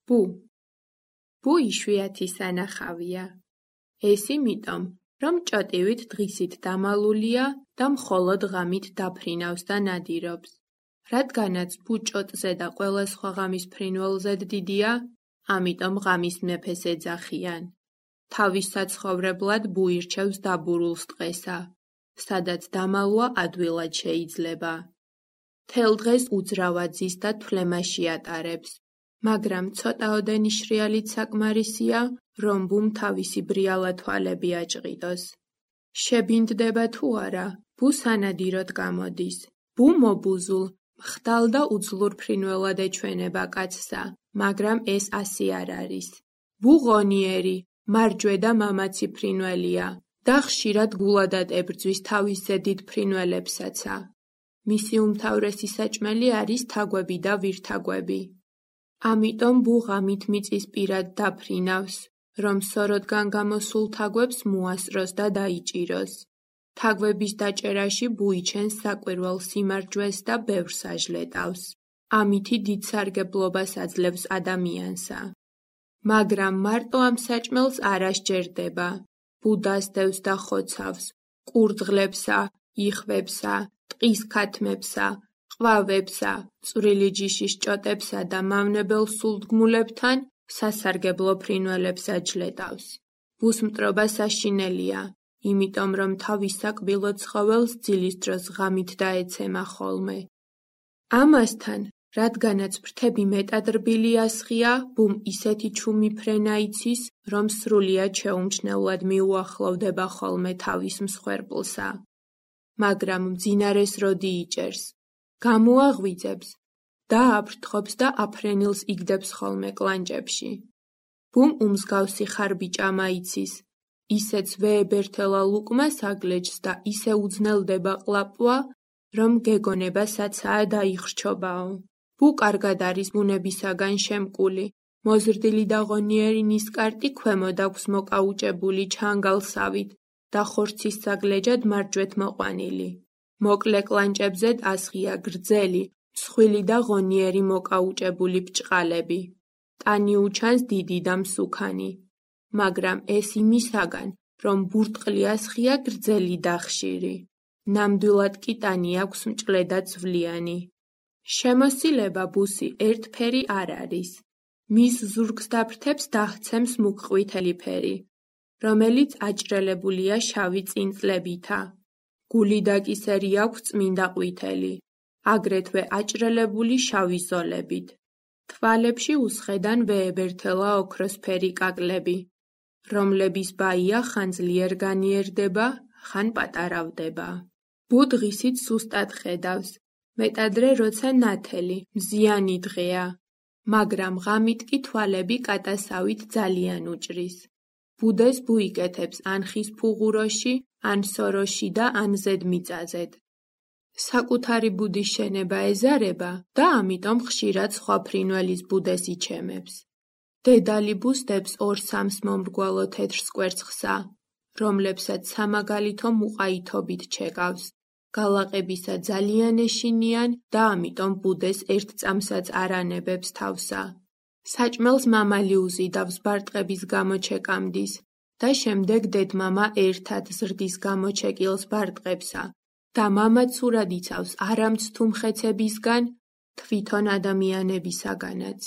ბუ. ბუ იშვიათი სანახავია. ეს იმიტომ, რომ ჭოტივით დღისით დამალულია და მხოლოდ ღამით დაფრინავს და ნადირობს. რადგანაც ბუ ჭოტზე და ყველა სხვა ღამის ფრინველზედ დიდია, ამიტომ ღამის მეფეს ეძახიან. თავის საცხოვრებლად ბუ ირჩევს დაბურულს ტყესა, სადაც დამალვა ადვილად შეიძლება. მთელ დღეს უძრავად ზის და თვლემაში ატარებს, მაგრამ ცოტაოდენი შრიალით საკმარისია, რომ ბუმ თავისი ბრიალა თვალები აჭყიდოს. შებინდება თუ არა, ბუ სანადიროდ გამოდის. ბუ მობუზულ, მხდალ და უძლურ ფრინველად ეჩვენება კაცსა, მაგრამ ეს ასე არ არის. ბუ ღონიერი, მარჯვე და მამაცი ფრინველია და ხშირად გულადად ებრძვის თავის ზედით ფრინველებსაცა. მისი უმთავრესი საჭმელი არის თაგვები და ვირთაგვები. ამიტომ ბუ ღამით მიწის პირად დაფრინავს, რომ სოროდგან გამოსულ თაგვებს მოასწროს და დაიჭიროს. თაგვების დაჭერაში ბუ იჩენს საკვირველ სიმარჯვეს და ბევრს აჟლეტავს. ამითი დიდ სარგებლობას აძლევს ადამიანსა. მაგრამ მარტო ამ საჭმელს არ ასჯერდება. ბუ დასდევს და ხოცავს, ყურდღლებსა, იხვებსა, ტყის ქათმებსა, ყვავებსა, წვრილი ჯიშის ჭოტებსა და მავნებელ სულდგმულებთან სასარგებლო ფრინველებს აჯლეტავს. ბუს მტრობა საშინელია, იმიტომ რომ თავის საკბილო ცხოველს ძილის დროს ღამით დაეცემა ხოლმე. ამასთან, რადგანაც ფრთები მეტად რბილი ასხია, ბუმ ისეთი ჩუმი ფრენა იცის, რომ სრულიად შეუმჩნევლად მიუახლოვდება ხოლმე თავის მსხვერპლსა. მაგრამ მძინარეს როდი იჭერს, გამოაღვიძებს, დააფრთხობს და აფრენილს იგდებს ხოლმე კლანჭებში. ბუმ უმსგავსი ხარბიჭამა იცის, ისეც ვეებერთელა ლუკმას აგლეჯს და ისე უძნელდება ყლაპვა, რომ გეგონება საცაა დაიხრჩობაო. ბუ კარგად არის ბუნებისაგან შემკული, მოზრდილი და ღონიერი ნისკარტი ქვემოთ აქვს მოკაუჭებული ჩანგალსავით და ხორცის საგლეჯად მარჯვეთ მოყვანილი. მოკლე კლანჭებზედ ასხია გრძელი, მსხვილი და ღონიერი მოკაუჭებული ბრჭყალები. ტანი უჩანს დიდი და მსუქანი, მაგრამ ეს იმისაგან, რომ ბურტყლი ასხია გრძელი და ხშირი. ნამდვილად კი ტანი აქვს მჭლე და ძვლიანი. შემოსილება ბუსი ერთფერი არ არის. მის ზურგს და ფრთებს დაჰცემს მუქყვითელი ფერი, რომელიც აჭრელებულია შავი წინწლებითა. გული და კისერი აქვს წმინდა ყვითელი, აგრეთვე აჭრელებული შავი ზოლებით. თვალებში უსხედან ვეებერთელა ოქროსფერი კაკლები, რომლების ბაია ხან ძლიერ განიერდება, ხან პატარავდება. ბუ დღისით სუსტად ხედავს, მეტადრე როცა ნათელი, მზიანი დღეა, მაგრამ ღამით კი თვალები კატასავით ძალიან უჭრის. ბუდეს ბუ იკეთებს ან ხის ფუღუროში, ან სოროში და ან ზედმიწაზედ. საკუთარი ბუდის შენება ეზარება და ამიტომ ხშირად სხვა ფრინველის ბუდეს იჩემებს. დედალი ბუს დებს 2-3 მომრგვალო თეთრ სკვერცხსა, რომლებსაც სამაგალითო მუყაითობით ჩეკავს. გალაყებისა ძალიან ეშინიან და ამიტომ ბუდეს ერთ წამსაც არ ანებებს თავსა. საჭმელს მამალი უზიდავს ბარტყების გამოჩეკამდის და შემდეგ დედმამა ერთად ზრდის გამოჩეკილს ბარტყებსა და მამა ცურად იცავს არამც თუ მხეცებისგან, თვითონ ადამიანებისაგანაც.